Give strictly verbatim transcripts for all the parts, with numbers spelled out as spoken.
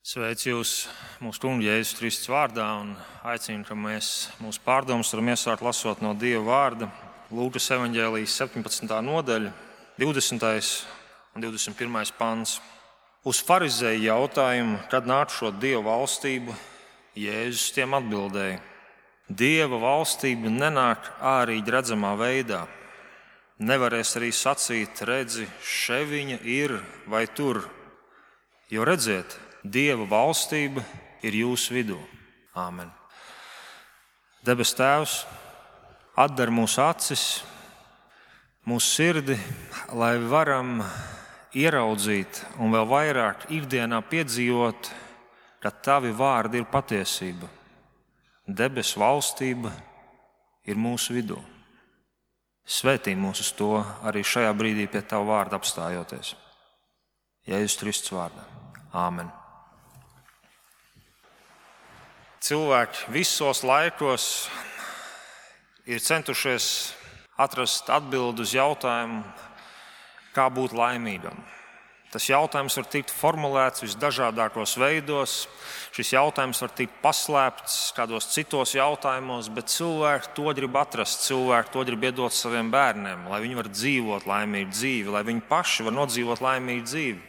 Sveicu jūs mūsu Kunga Jēzus Kristus vārdā un aicinu, ka mēs mūsu pārdomas varam iesākt lasot no Dieva vārda. Lūkas evaņģēlijas septiņpadsmitā nodaļa, divdesmitais un divdesmit pirmais pants. Uz farizēju jautājumu, kad nākšot Dieva valstību, Jēzus tiem atbildēja: Dieva valstība nenāk ārīgi redzamā veidā. Nevarēs arī sacīt, redzi, še viņa ir vai tur, jo redziet, Dieva valstība ir jūsu vidū. Āmen. Debes Tēvs, atdar mūsu acis, mūsu sirdi, lai varam ieraudzīt un vēl vairāk ikdienā piedzīvot, ka Tavi vārdi ir patiesība. Debes valstība ir mūsu vidū. Svētī mūs uz to arī šajā brīdī pie Tava vārda apstājoties. Jēzus Kristus vārdā. Āmen. Cilvēki visos laikos ir centušies atrast atbildi uz jautājumu, kā būt laimīgam. Tas jautājums var tikt formulēts visdažādākos veidos, šis jautājums var tikt paslēpts kādos citos jautājumos, bet cilvēki to grib atrast, cilvēki to grib iedot saviem bērniem, lai viņi var dzīvot laimīgu dzīvi, lai viņi paši var nodzīvot laimīgu dzīvi.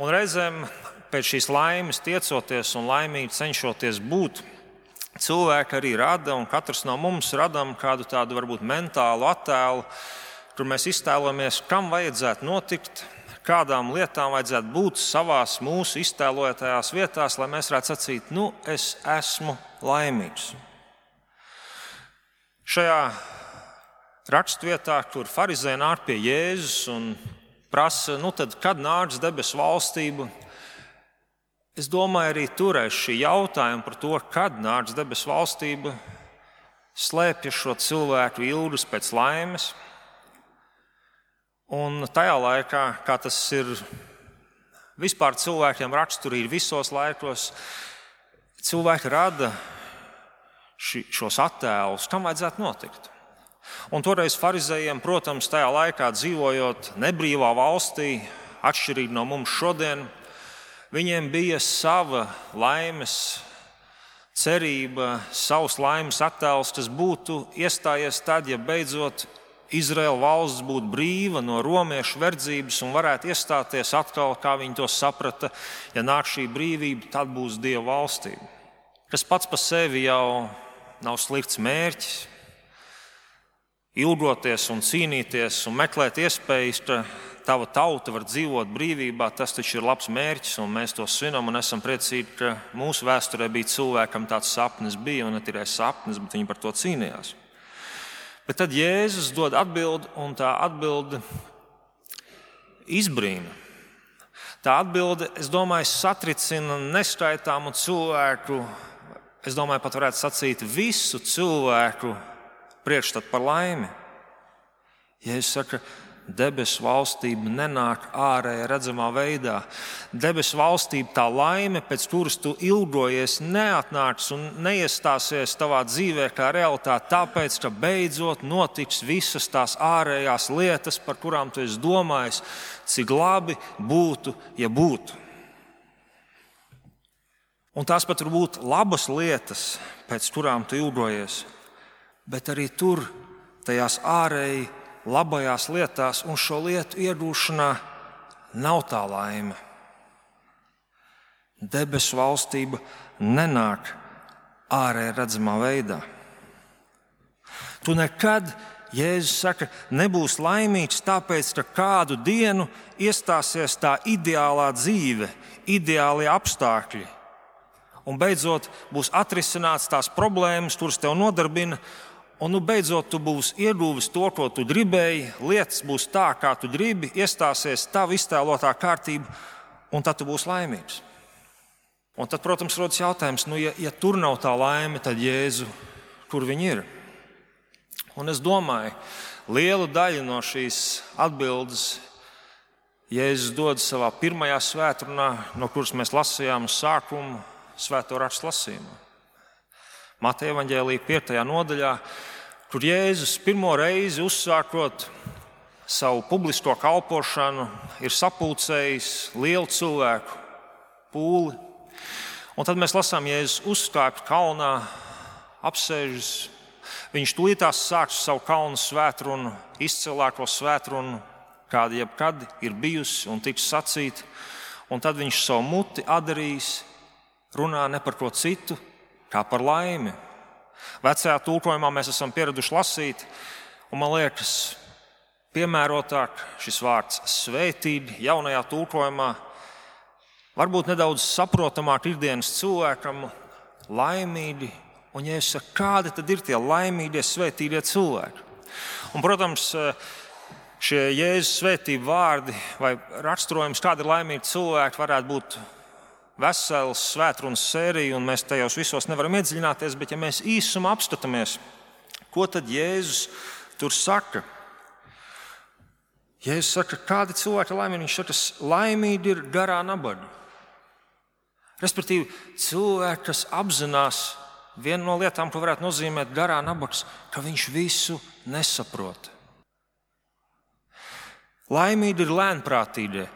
Un reizēm pēc šīs laimes tiecoties un laimīgi cenšoties būt, cilvēki arī rada, un katrs no mums radam kādu tādu varbūt mentālu attēlu, kur mēs iztēlojamies, kam vajadzētu notikt, kādām lietām vajadzētu būt savās mūsu iztēlotajās vietās, lai mēs varētu sacīt, nu, es esmu laimīgs. Šajā rakstvietā, kur farizēji nāk pie Jēzus un prasa, nu tad, kad nāks debesu valstība, es domāju, arī tur aiz šī jautājuma par to, kad nāks debesu valstība, slēpjas šo cilvēku ilgas pēc laimes. Un tajā laikā, kā tas ir vispār cilvēkiem raksturīgi visos laikos, cilvēki rada ši, šos attēlus, kam vajadzētu notikt. Un toreiz farizējiem, protams, tajā laikā dzīvojot nebrīvā valstī, atšķirīgi no mums šodien, viņiem bija sava laimes cerība, savs laimes attēls, kas būtu iestājies tad, ja beidzot Izraēla valsts būtu brīva no romiešu verdzības un varētu iestāties atkal, kā viņi to saprata, ja nāk šī brīvība, tad būs Dieva valstība. Kas pats par sevi jau nav slikts mērķis, ilgoties un cīnīties un meklēt iespējas, ka tava tauta var dzīvot brīvībā, tas taču ir labs mērķis, un mēs to svinam un esam priecīgi, ka mūsu vēsturē bija cilvēkam tāds sapnis bija, un ne tikai sapnis, bet viņi par to cīnījās. Bet tad Jēzus dod atbildi, un tā atbilde izbrīna. Tā atbilde, es domāju, satricina neskaitāmu cilvēku, es domāju, pat varētu sacīt visu cilvēku priekšstatu par laimi. Jēzus saka, debesu valstība nenāk ārēji redzamā veidā. Debesu valstība, tā laime, pēc kuras tu ilgojies, neatnāks un neiestāsies tavā dzīvē kā realitāte, tāpēc, ka beidzot notiks visas tās ārējās lietas, par kurām tu esi domājis, cik labi būtu, ja būtu. Un tās pat var būt labas lietas, pēc kurām tu ilgojies, bet arī tur, tajās ārēji labajās lietās un šo lietu iegūšanā nav tā laime. Debesu valstība nenāk ārēji redzamā veidā. Tu nekad, Jēzus saka, nebūs laimīgs tāpēc, ka kādu dienu iestāsies tā ideālā dzīve, ideālie apstākļi. Un beidzot būs atrisināts tās problēmas, kuras tev nodarbina. Un nu beidzot tu būsi ieguvis to, ko tu gribēji, lietas būs tā, kā tu gribi, iestāsies tava iztēlotā kārtība, un tad tu būsi laimīgs. Un tad, protams, rodas jautājums, nu, ja, ja tur nav tā laime, tad Jēzu, kur viņi ir? Un es domāju, lielu daļu no šīs atbildes Jēzus dod savā pirmajā svētrunā, no kuras mēs lasījām uz sākumu svēto rakstu lasījumā. Mateja evaņģēlija piektajā nodaļā, kur Jēzus pirmo reizi uzsākot savu publisko kalpošanu, ir sapulcējis lielu cilvēku pūli, Un tad mēs lasām, Jēzus uzkāpa kalnā, apsēžas. Viņš tūlītās sāks savu kalnu svētrunu, izcilāko svētrunu, kāda jebkad ir bijusi un tiks sacīta. Un tad viņš savu muti atdarīs, runā ne par ko citu, kā par laimi. Vecajā tulkojumā mēs esam pieraduši lasīt, un man liekas, piemērotāk šis vārds svētīt jaunajā tulkojumā, varbūt nedaudz saprotamāk ikdienas cilvēkam, laimīgi. Un, ja es saku, kādi tad ir tie laimīgie, svētīgie cilvēki? Un, protams, šie Jēzus svētību vārdi vai raksturojums, kādi ir laimīgi cilvēki, varētu būt vesels svētrunas sērija, un mēs tajos visos nevaram iedziļināties, bet ja mēs īsumā apskatāmies, ko tad Jēzus tur saka? Jēzus saka, kādi cilvēki ir laimīgi? Viņš saka, laimīgi ir garā nabaga. Respektīvi, cilvēki, kas apzinās viena no lietām, ko varētu nozīmēt garā nabags, ka viņš visu nesaprot. Laimīgi ir lēnprātīgie.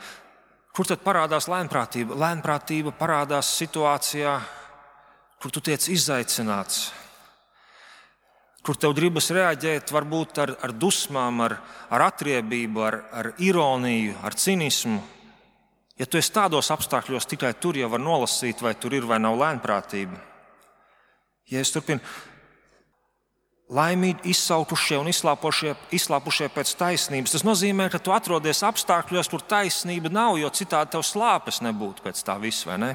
Kur tad parādās lēnprātība? Lēnprātība parādās situācijā, kur tu tiec izaicināts, kur tev gribas reaģēt varbūt ar, ar dusmām, ar, ar atriebību, ar, ar ironiju, ar cinismu. Ja tu esi tādos apstākļos, tikai tur jau var nolasīt, vai tur ir vai nav lēnprātība. Ja es turpinu, laimīgi izsaukušie un izslāpušie, izslāpušie pēc taisnības, tas nozīmē, ka tu atrodies apstākļos, kur taisnība nav, jo citādi tev slāpes nebūtu pēc tā visa, vai ne?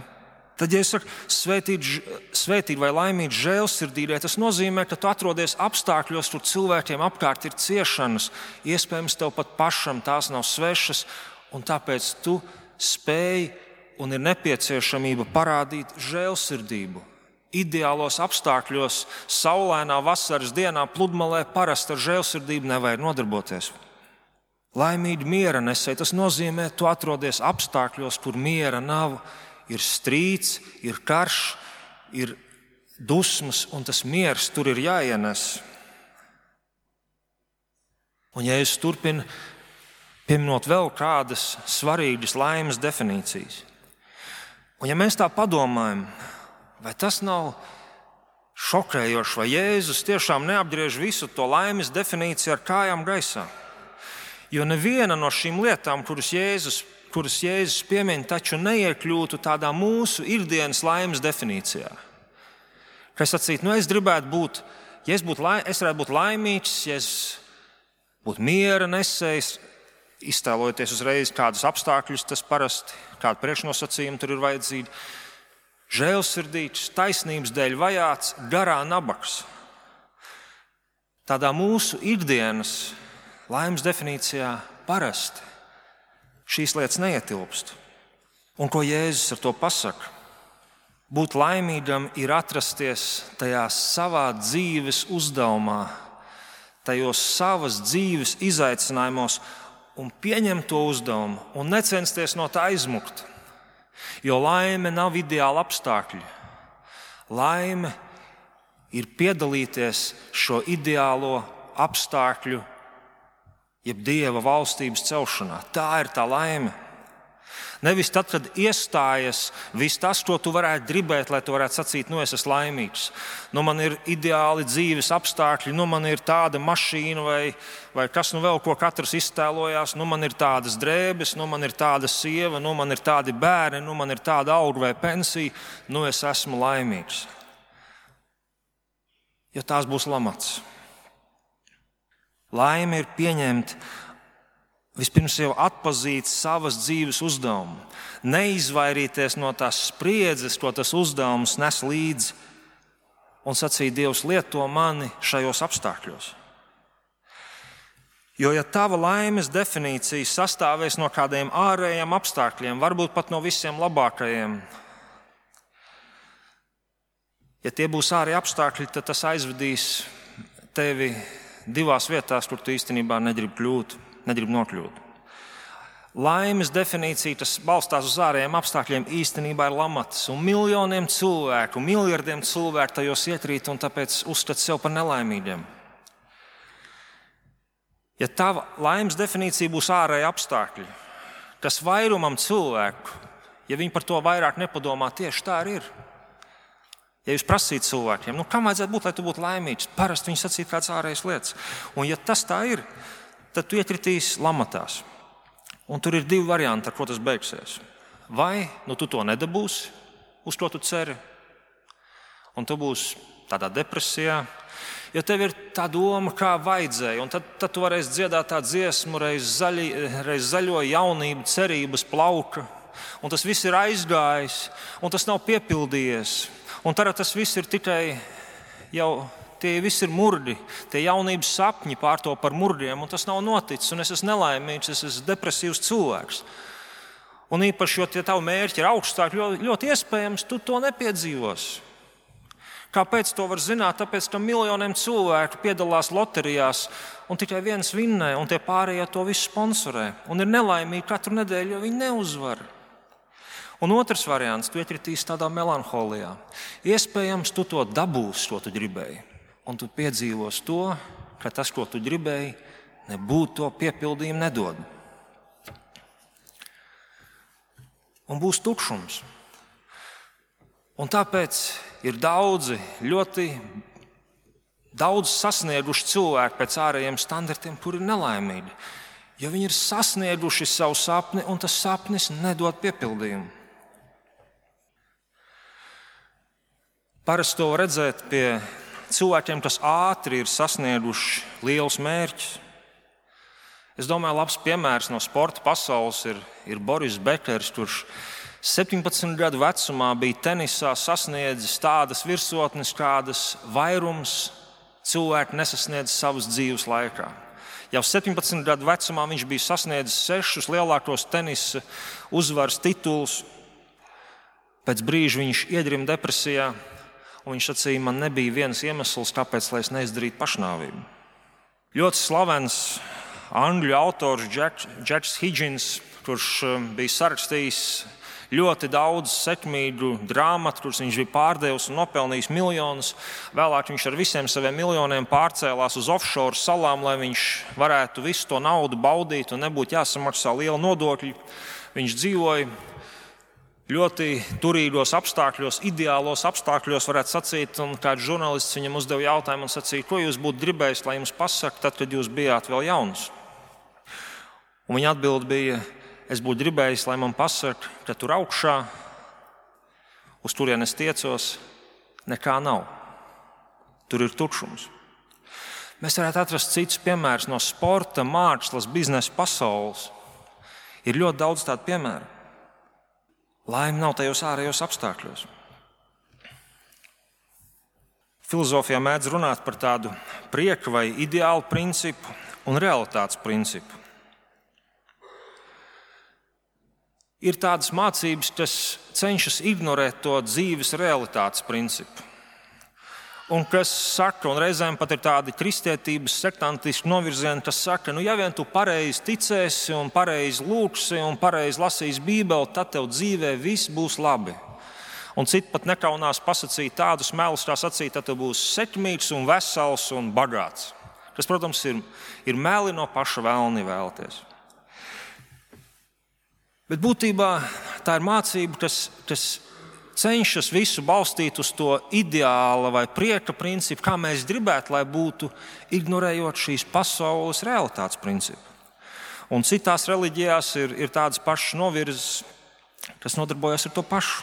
Tad, ja es saku, svētīt, svētīt vai laimīt žēlsirdīgie, tas nozīmē, ka tu atrodies apstākļos, kur cilvēkiem apkārt ir ciešanas, iespējams, tev pat pašam tās nav svešas, un tāpēc tu spēj un ir nepieciešamība parādīt žēlsirdību. Ideālos apstākļos, saulainā vasaras dienā, pludmalē parasti ar žēlsirdību nevajag nodarboties. Laimīgi miera nesēji, tas nozīmē, tu atrodies apstākļos, kur miera nav, ir strīds, ir karš, ir dusmas, un tas miers tur ir jāienes. Un ja es turpinu, pieminot vēl kādas svarīgas laimes definīcijas. Un ja mēs tā padomājam, vai tas nav šokējoši, vai Jēzus tiešām neapgriež visu to laimes definīciju ar kājām gaisā? Jo neviena no šīm lietām, kuras Jēzus, kuras Jēzus piemin, taču neiekļūtu tādā mūsu ikdienas laimes definīcijā. Kā es sacītu, nu es gribētu būt, ja es, būtu, es varētu būt laimīgs, ja es būtu miera nesējs, iztēlojoties uzreiz kādus apstākļus, tas parasti, kādu priekšnosacījumu tur ir vajadzīgi. Žēlsirdīgs, taisnības dēļ vajāts, garā nabags. Tādā mūsu ikdienas laimes definīcijā parasti šīs lietas neietilpst. Un ko Jēzus ar to pasaka? Būt laimīgam ir atrasties tajā savā dzīves uzdevumā, tajos savas dzīves izaicinājumos un pieņemt to uzdevumu un necensties no tā aizmukt. Jo laime nav ideāla apstākļi. Laime ir piedalīties šo ideālo apstākļu, jeb Dieva valstības celšanā. Tā ir tā laime. Nevis tad, kad iestājas viss tas, ko tu varētu gribēt, lai tu varētu sacīt, nu es esmu laimīgs. Nu man ir ideāli dzīves apstākļi, nu man ir tāda mašīna vai, vai kas nu vēl, ko katrs iztēlojās. Nu man ir tādas drēbes, nu man ir tāda sieva, nu man ir tādi bērni, nu man ir tāda alga vai pensija. Nu es esmu laimīgs. Jo tās būs lamats. Laime ir pieņemt vispirms jau atpazīt savas dzīves uzdevumu, neizvairīties no tās spriedzes, ko tas uzdevums nes līdzi, un sacīt, Dievs, lieto mani šajos apstākļos. Jo, ja tava laimes definīcija sastāvēs no kādiem ārējiem apstākļiem, varbūt pat no visiem labākajiem, ja tie būs ārēji apstākļi, tad tas aizvedīs tevi divās vietās, kur tu īstenībā negribi kļūt. Negrib nokļūt. Laimes definīcija, tas balstās uz ārējiem apstākļiem, īstenībā ir lamats. Un miljoniem cilvēku, miljardiem cilvēku tajos iekrīt un tāpēc uzskata sev par nelaimīgiem. Ja tava laimes definīcija būs ārēji apstākļi, kas vairumam cilvēku, ja viņi par to vairāk nepadomā, tieši tā arī ir. Ja jūs prasītu cilvēkiem, nu, kam vajadzētu būt, lai tu būtu laimīgs, parasti viņi sacītu kādas ārējas lietas. Un ja tas tā ir, tad tu iekritīs lamatās. Un tur ir divi varianti, ar ko tas beigsies. Vai nu tu to nedabūsi, uz ko tu ceri, un tu būsi tādā depresijā, jo tev ir tā doma, kā vajadzēja, un tad, tad tu varēsi dziedāt tā dziesmu, reiz, zaļi, reiz zaļo jaunību, cerības plauka, un tas viss ir aizgājis, un tas nav piepildījies. Un tagad tas viss ir tikai jau, tie visi ir murdi, tie jaunības sapņi pārto par murdiem, un tas nav noticis, un es esmu nelaimīgs, es esmu depresīvs cilvēks. Un īpaši, jo tie tavi mērķi ir augstāki, ļoti, ļoti iespējams, tu to nepiedzīvosi. Kāpēc to var zināt? Tāpēc, ka miljoniem cilvēku piedalās loterijās, un tikai viens vinnē, un tie pārējie to visu sponsorē. Un ir nelaimīgi katru nedēļu, jo viņi neuzvar. Un otrs variants, tu iekritīsi tādā melanholijā. Iespējams, tu to dabūsi, ko tu gribēji. Un tu piedzīvosi to, ka tas, ko tu gribēji, nebūtu to piepildījumu nedod. Un būs tukšums. Un tāpēc ir daudzi, ļoti daudz sasnieguši cilvēki pēc ārējiem standartiem, kuri ir nelaimīgi. Jo viņi ir sasnieguši savu sapni, un tas sapnis nedod piepildījumu. Parasti to var redzēt pie cilvēkiem, kas ātri ir sasnieguši lielus mērķus. Es domāju, labs piemērs no sporta pasaules ir, ir Boris Bekers, kurš septiņpadsmit gadu vecumā bija tenisā sasniedzis tādas virsotnes, kādas vairums cilvēku nesasniedz savas dzīves laikā. Jau septiņpadsmit gadu vecumā viņš bija sasniedzis sešus lielākos tenisa uzvaras titulus. Pēc brīža viņš iedrima depresijā. Un viņš sacīja, man nebija viens iemesls, kāpēc lai es neizdarītu pašnāvību. Ļoti slavens angļu autors Jacks Higgins, kurš bija sarakstījis ļoti daudz sekmīgu grāmatu, kuras viņš bija pārdevis un nopelnījis miljonus. Vēlāk viņš ar visiem saviem miljoniem pārcēlās uz offshore salām, lai viņš varētu visu to naudu baudīt un nebūtu jāsamaksā liela nodokļi. Viņš dzīvoja ļoti turīgos apstākļos, ideālos apstākļos, varētu sacīt, un kāds žurnālists viņam uzdeva jautājumu un sacīja, ko jūs būtu gribējis, lai jums pasaka, tad, kad jūs bijāt vēl jauns. Un viņa atbilde bija, es būtu gribējis, lai man pasaka, ka tur augšā, uz kurien es tiecos, nekā nav. Tur ir tukšums. Mēs varētu atrast citus piemērus no sporta, mākslas, biznesa pasaules. Ir ļoti daudz tādu piemēru. Laime nav tajos ārējos apstākļos. Filozofijā mēdz runāt par tādu prieka vai ideālu principu un realitātes principu. Ir tādas mācības, kas cenšas ignorēt to dzīves realitātes principu. Un kas saka, un reizēm pat ir tādi kristietības sektantiski novirzieni, kas saka, nu ja vien tu pareizi ticēsi un pareizi lūgsi un pareizi lasīsi Bībeli, tad tev dzīvē viss būs labi. Un citi pat nekaunās pasakīt tādus melus, kā sacīt, tad tu būsi sekmīgs un vesels un bagāts. Kas, protams, ir, ir meli no paša vēlni vēlties. Bet būtībā tā ir mācība, kas, kas cenšas visu balstīt uz to ideāla vai prieka principu, kā mēs gribētu, lai būtu, ignorējot šīs pasaules realitātes principu. Un citās reliģijās ir, ir tādas pašas novirzes, kas nodarbojas ar to pašu.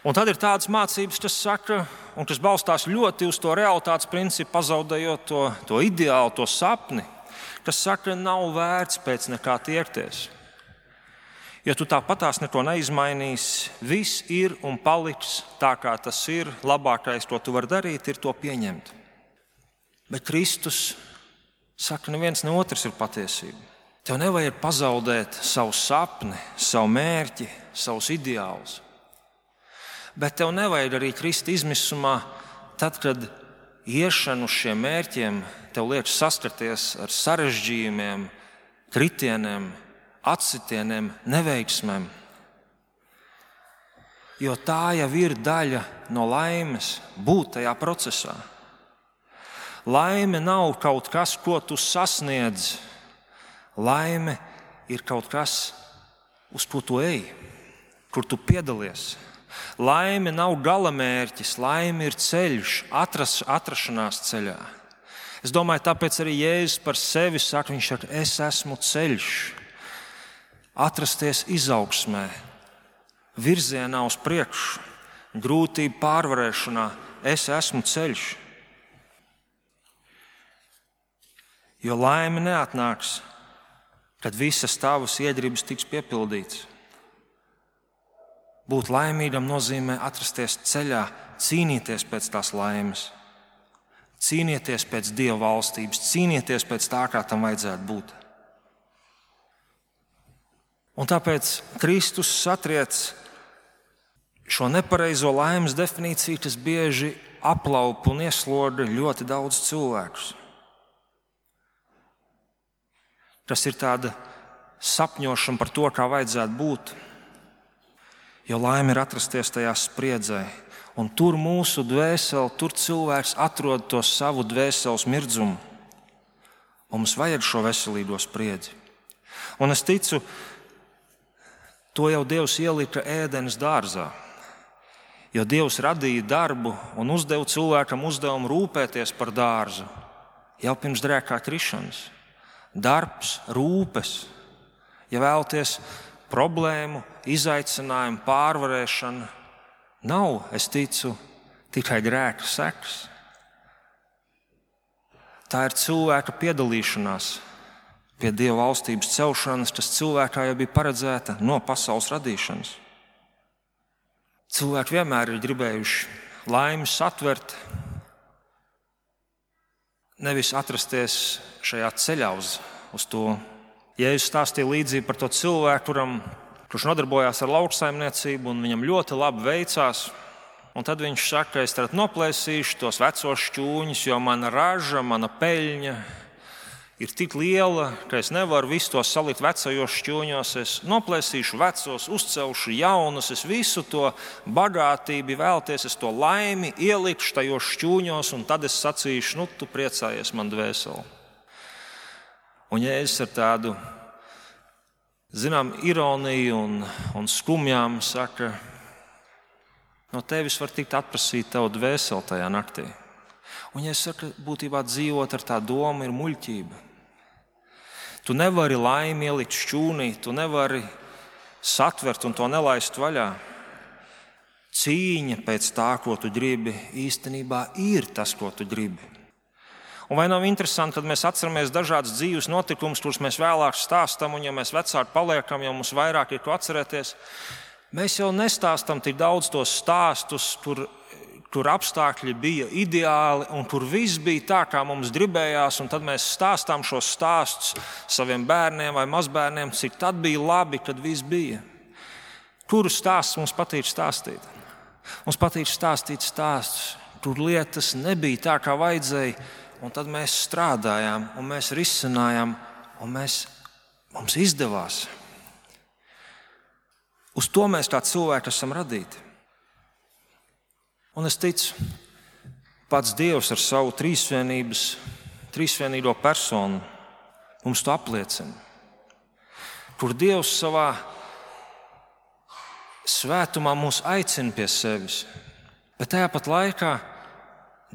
Un tad ir tādas mācības, kas saka, un kas balstās ļoti uz to realitātes principu, pazaudējot to, to ideālu, to sapni, kas saka, nav vērts pēc nekā tiekties. Ja tu tāpatās neko neizmainīsi, viss ir un paliks tā, kā tas ir. Labākais, ko tu vari darīt, ir to pieņemt. Bet Kristus saka, neviens ne otrs ir patiesība. Tev nevajag pazaudēt savu sapni, savu mērķi, savus ideālus. Bet tev nevajag arī krist izmisumā, tad, kad iešana uz šiem mērķiem tev liek saskarties ar sarežģījumiem, kritieniem, atsitieniem, neveiksmēm. Jo tā jau ir daļa no laimes būt tajā procesā. Laime nav kaut kas, ko tu sasniedz. Laime ir kaut kas, uz ko tu ej, kur tu piedalies. Laime nav galamērķis, laime ir ceļš, atras, atrašanās ceļā. Es domāju, tāpēc arī Jēzus par sevi saka, viņš saka, es esmu ceļš. Atrasties izaugsmē, virzienā uz priekšu, grūtību pārvarēšanā, es esmu ceļš. Jo laime neatnāks, kad visas tavas iedribas tiks piepildītas. Būt laimīgam nozīmē atrasties ceļā, cīnīties pēc tās laimes, cīnīties pēc Dieva valstības, cīnīties pēc tā, kā tam vajadzētu būt. Un tāpēc Kristus satriec šo nepareizo laimes definīciju, kas bieži aplaupa un ieslodza ļoti daudz cilvēkus. Tas ir tāda sapņošana par to, kā vajadzētu būt. Jo laime ir atrasties tajā spriedzē. Un tur mūsu dvēseli, tur cilvēks atrod to savu dvēseles mirdzumu. Un mums vajag šo veselīgo spriedzi. Un es ticu, to jau Dievs ielika Ēdenes dārzā. Jo Dievs radīja darbu un uzdeva cilvēkam uzdevumu rūpēties par dārzu jau pirms grēkā krišanas. Darbs, rūpes, ja vēlaties problēmu, izaicinājumu, pārvarēšana nav, es ticu, tikai grēka sekas. Tā ir cilvēka piedalīšanās pie Dieva valstības celšanas, kas cilvēkā jau bija paredzēta no pasaules radīšanas. Cilvēki vienmēr ir gribējuši laimi satvert, nevis atrasties šajā ceļā uz, uz to. Jēzus stāstīja līdzību par to cilvēku, kuram, kurš nodarbojās ar lauksaimniecību, un viņam ļoti labi veicās. Un tad viņš saka, es tagad noplēsīšu tos vecos šķūņus, jo mana raža, mana peļņa ir tik liela, ka es nevaru visu to salikt vecajos šķūņos. Es noplēsīšu vecos, uzcelšu jaunus, es visu to bagātību vēlties, es to laimi ielikšu tajos šķūņos, un tad es sacīšu, nu, tu priecājies man dvēseli. Un Jēzus ar tādu, zinām, ironiju un, un skumjām saka, no tevis var tikt atprasīt tavu dvēseli tajā naktī. Un Jēzus saka, būtībā dzīvot ar tā domu ir muļķība. Tu nevari laimi ielikt šķūnī, tu nevari satvert un to nelaist vaļā. Cīņa pēc tā, ko tu gribi, īstenībā ir tas, ko tu gribi. Un vai nav interesanti, kad mēs atceramies dažādas dzīves notikumus, kurus mēs vēlāk stāstam, un ja mēs vecāki paliekam, jau mums vairāk ir ko atcerēties, mēs jau nestāstam tik daudz tos stāstus, kur, kur apstākļi bija ideāli un kur viss bija tā, kā mums gribējās, un tad mēs stāstām šos stāstus saviem bērniem vai mazbērniem, cik tad bija labi, kad viss bija. Kuru stāsts mums patīk stāstīt? Mums patīk stāstīt stāstus, kur lietas nebija tā, kā vajadzēja, un tad mēs strādājām, un mēs risinājām, un mēs, mums izdevās. Uz to mēs kā cilvēki esam radīti. Un es ticu, pats Dievs ar savu trīsvienības, trīsvienīgo personu mums to apliecina. Kur Dievs savā svētumā mūs aicina pie sevis, bet tajā pat laikā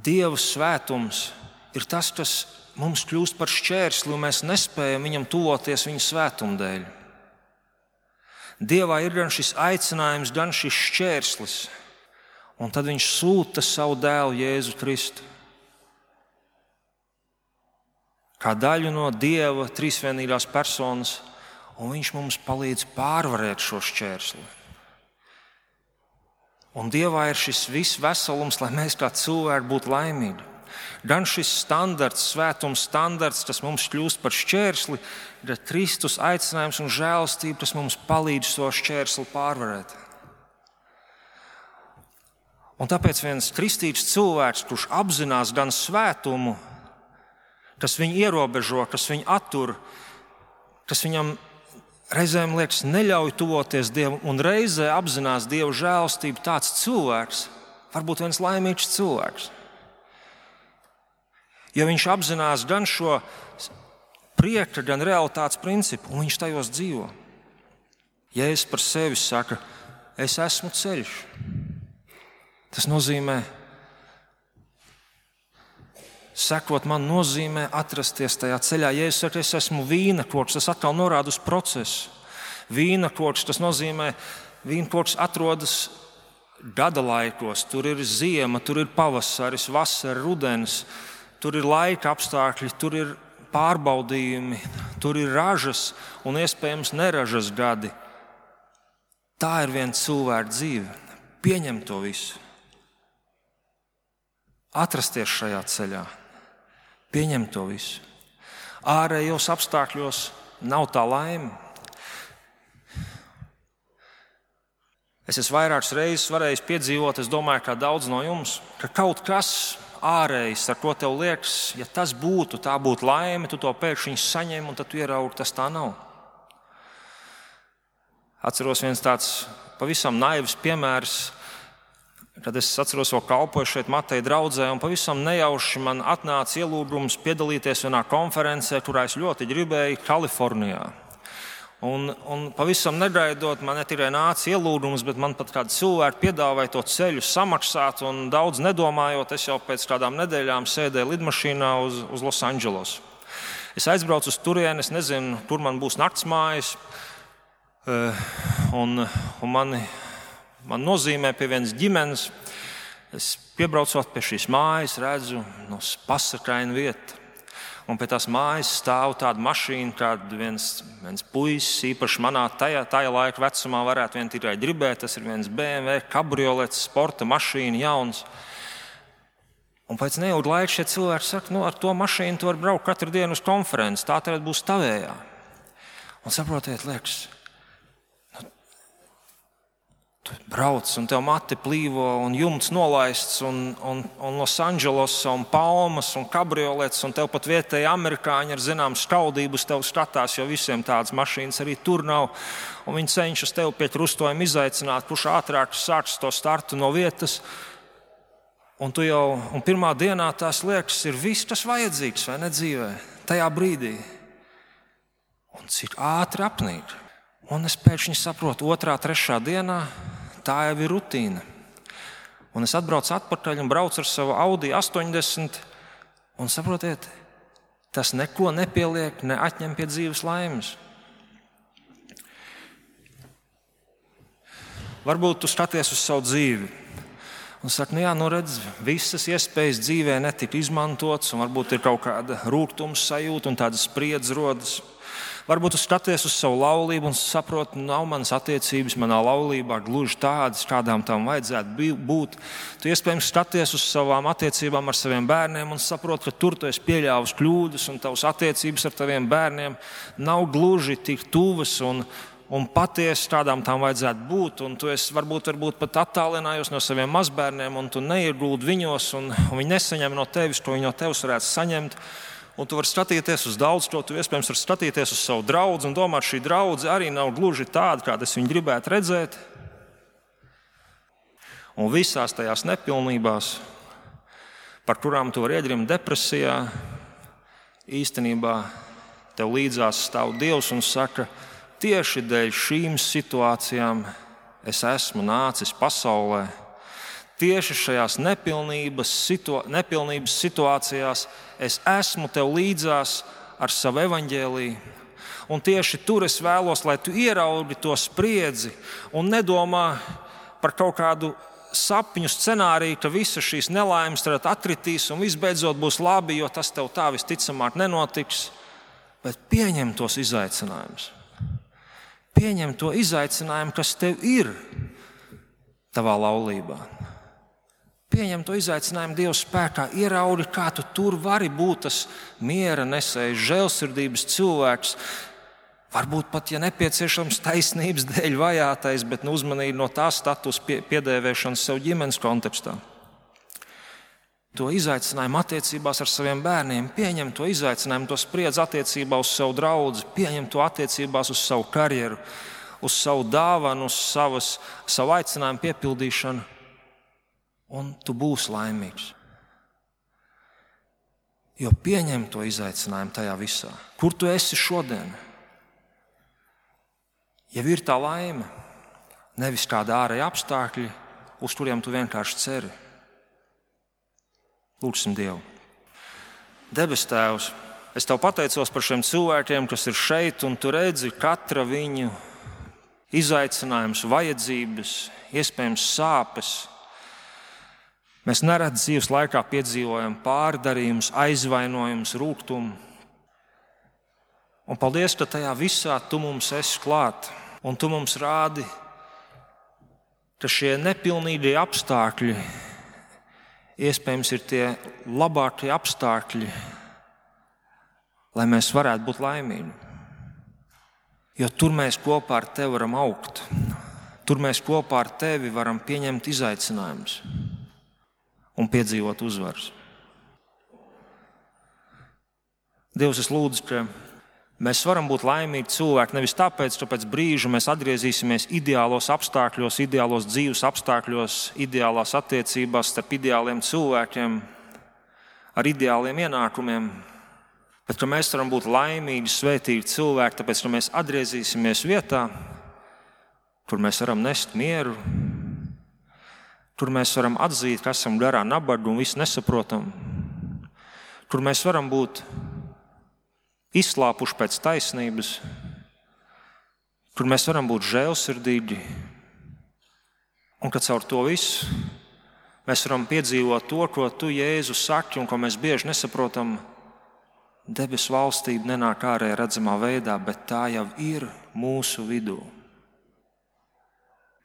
Dieva svētums ir tas, kas mums kļūst par šķērsli, un mēs nespējam viņam tuvoties viņa svētuma dēļ. Dievā ir gan šis aicinājums, gan šis šķērslis, un tad viņš sūta savu dēlu Jēzu Kristu. Kā daļu no Dieva trīsvienīgās personas, un viņš mums palīdz pārvarēt šo šķērsli. Un Dievā ir šis viss veselums, lai mēs kā cilvēki būtu laimīgi. Gan šis standarts, svētums standarts, tas mums kļūst par šķērsli, gan Kristus aicinājums un žēlastība, tas mums palīdz to šķērsli pārvarēt. Un tāpēc viens kristīgs cilvēks, kurš apzinās gan svētumu, kas viņu ierobežo, kas viņu attur, kas viņam reizēm liekas neļauj tuvoties Dievam, un reizē apzinās Dieva žēlastību, tāds cilvēks var būt viens laimīgs cilvēks. Jo viņš apzinās gan šo prieka, gan realitātes principu, un viņš tajos dzīvo. Jēzus par sevi saka, es esmu ceļš. Tas nozīmē, sekot man nozīmē atrasties tajā ceļā. Ja es saku, es esmu vīna koks, tas atkal norāda uz procesu. Vīna koks, tas nozīmē, vīna koks atrodas gada laikos. Tur ir ziema, tur ir pavasaris, vasara, rudens, tur ir laika apstākļi, tur ir pārbaudījumi, tur ir ražas un iespējams neražas gadi. Tā ir viena cilvēka dzīve. Pieņem to visu. Atrasties šajā ceļā. Pieņem to visu. Ārējos apstākļos nav tā laime. Es esmu vairākas reizes varējis piedzīvot, es domāju, kā daudz no jums, ka kaut kas ārējs, ar ko tev liekas, ja tas būtu, tā būtu laime, tu to pēkšņi saņem un tad tu ieraugi, tas tā nav. Atceros viens tāds pavisam naivs piemērs, kad es atceros, vēl kalpoju šeit Mateja draudzē, un pavisam nejauši man atnāca ielūgums piedalīties vienā konferencē, kurā es ļoti gribēju, Kalifornijā. Un, un pavisam negaidot, man ne tikai nāca ielūgums, bet man pat kādi cilvēki piedāvāja to ceļu samaksāt, un daudz nedomājot, es jau pēc kādām nedēļām sēdēju lidmašīnā uz, uz Losandželosu. Es aizbraucu uz turieni, es nezinu, kur man būs naktsmājas, un, un mani, man nozīmē pie vienas ģimenes. Es piebraucot pie šīs mājas, redzu no pasakaina vieta. Un pie tās mājas stāv tāda mašīna, kāda viens, viens puisis, īpaši manā tajā, tajā laika vecumā, varētu vien tikai gribēt. Tas ir viens B M W kabriolets, sporta mašīna, jauns. Un pēc neilga laika šie cilvēki saka, nu, ar to mašīnu tu vari braukt katru dienu uz konferenci, tā tad būs tavējā. Un saprotiet, liekas, tu brauc un tev mati plīvo un jumts nolaists un, un, un Losandželosa un palmas un kabriolets un tev pat vietēji amerikāņi ar zinām skaudības tev skatās, jo visiem tādas mašīnas arī tur nav. Un viņi cenšas tev pie krustojuma izaicināt, kurš ātrāk sāks to startu no vietas. Un tu jau, un pirmā dienā tās liekas ir viss, kas vajadzīgs, vai ne dzīvē, tajā brīdī. Un cik ātri apnīk. Un es pēkšņi saprotu, otrā, trešā dienā tā jau ir rutīna. Un es atbraucu atpakaļ un braucu ar savu Audi astoņdesmit. Un saprotiet, tas neko nepieliek, ne atņem pie dzīves laimes. Varbūt tu skaties uz savu dzīvi un saki, nu jā, nu redz, visas iespējas dzīvē netika izmantotas, un varbūt ir kaut kāda rūgtums sajūta un tāda spriedze rodas. Varbūt tu skaties uz savu laulību un saproti, nav manas attiecības manā laulībā gluži tādas, kādām tam vajadzētu būt. Tu iespējams skaties uz savām attiecībām ar saviem bērniem un saproti, ka tur tu esi pieļāvis kļūdas un tavas attiecības ar taviem bērniem nav gluži tik tuvas un, un patiesi, kādām tam vajadzētu būt. Un tu esi varbūt, varbūt pat attālinājies no saviem mazbērniem un tu neieguldi viņos un, un viņi nesaņem no tevis, ko viņi no tevis varētu saņemt. Un tu vari skatīties uz daudz ko, tu iespējams vari skatīties uz savu draudzi un domāt, šī draudze arī nav gluži tāda, kāda es viņu gribētu redzēt. Un visās tajās nepilnībās, par kurām tu vari iegrimt depresijā, īstenībā tev līdzās stāv Dievs un saka, tieši dēļ šīm situācijām es esmu nācis pasaulē. Tieši šajās nepilnības, situ, nepilnības situācijās es esmu tev līdzās ar savu evaņģēliju. Un tieši tur es vēlos, lai tu ieraugi to spriedzi un nedomā par kaut kādu sapņu scenāriju, ka visas šīs nelaimes tad atkritīs un visbeidzot būs labi, jo tas tev tā visticamāk nenotiks. Bet pieņem tos izaicinājumus. Pieņem to izaicinājumu, kas tev ir tavā laulībā. Pieņem to izaicinājumu Dieva spēkā, ieraugi, kā tu tur vari būt tas miera nesējs, žēlsirdības cilvēks. Varbūt pat, ja nepieciešams, taisnības dēļ vajātais, bet nu, uzmanīgi no tā status pie, piedēvēšanas sev ģimenes kontekstā. To izaicinājumu attiecībās ar saviem bērniem, pieņem to izaicinājumu, to spriedzi attiecībā uz savu draudzi, pieņem to attiecībās uz savu karjeru, uz savu dāvanu, uz savas, savu aicinājumu piepildīšanu. Un tu būsi laimīgs. Jo pieņem to izaicinājumu tajā visā. Kur tu esi šodien? Ja ir tā laime, nevis kādi ārēji apstākļi, uz kuriem tu vienkārši ceri. Lūgsim Dievu. Debes Tēvs, es Tev pateicos par šiem cilvēkiem, kas ir šeit, un Tu redzi katra viņu izaicinājums, vajadzības, iespējams sāpes. Mēs nereti dzīves laikā piedzīvojam pārdarījumus, aizvainojumus, rūgtumu. Un paldies, ka tajā visā Tu mums esi klāt, un Tu mums rādi, ka šie nepilnīgie apstākļi iespējams ir tie labākie apstākļi, lai mēs varētu būt laimīgi. Jo tur mēs kopā ar Tevi varam augt, tur mēs kopā ar Tevi varam pieņemt izaicinājumus un piedzīvot uzvaras. Dievs, es lūdzu, ka mēs varam būt laimīgi cilvēki nevis tāpēc, ka pēc brīža mēs atgriezīsimies ideālos apstākļos, ideālos dzīves apstākļos, ideālās attiecībās starp ideāliem cilvēkiem, ar ideāliem ienākumiem, bet ka mēs varam būt laimīgi, svētīgi cilvēki, tāpēc, ka mēs atgriezīsimies vietā, kur mēs varam nest mieru, kur mēs varam atzīt, ka esam garā nabaga un visu nesaprotam, kur mēs varam būt izslāpuši pēc taisnības, kur mēs varam būt žēlsirdīgi, un ka caur to visu mēs varam piedzīvot to, ko Tu, Jēzu, saki un ko mēs bieži nesaprotam. Debesu valstība nenāk ārēji redzamā veidā, bet tā jau ir mūsu vidū.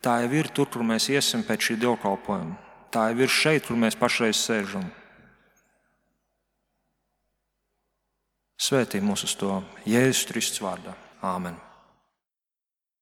Tā jau ir tur, kur mēs iesim pēc šī dievkalpojuma. Tā jau ir šeit, kur mēs pašreiz sēžam. Svētī mūs uz to Jēzus Kristus vārdā. Āmen.